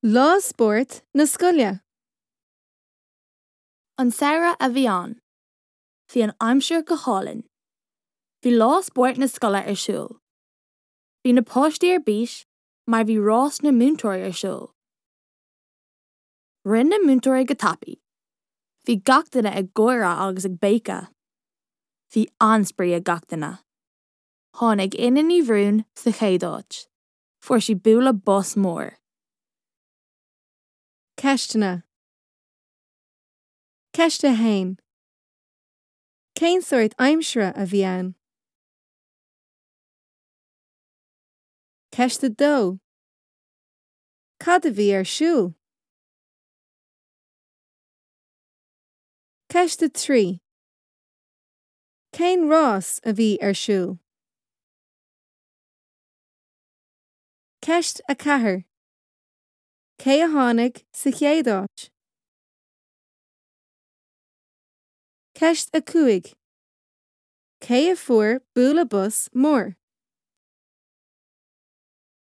Lá Spóirt na Scoile. An samhradh a bhí ann. Bhí an aimsir go hálainn. Bhí lá spóirt na scoile ar siúl. Bhí na páistí ar bís mar bhí rás na múinteoirí ar siúl. Rith na múinteoirí go tapaidh. Bhí gach duine ag gáire agus ag béiceadh. Bhí an-spraoi ag gach duine. Tháinig Inna Ní Bhriúin sa chéad áit. Fuair sí bualadh bos mór. Ceisteanna. Ceist 1. Cén sórt aimsire a bhí ann? Ceist 2. Cad a bhí ar siúl? Ceist 3. Cén rás a bhí ar siúl? Ceist 4. Cé a tháinig sa chéad áit? Ceist 5. Cé a fuair bualadh bos mór?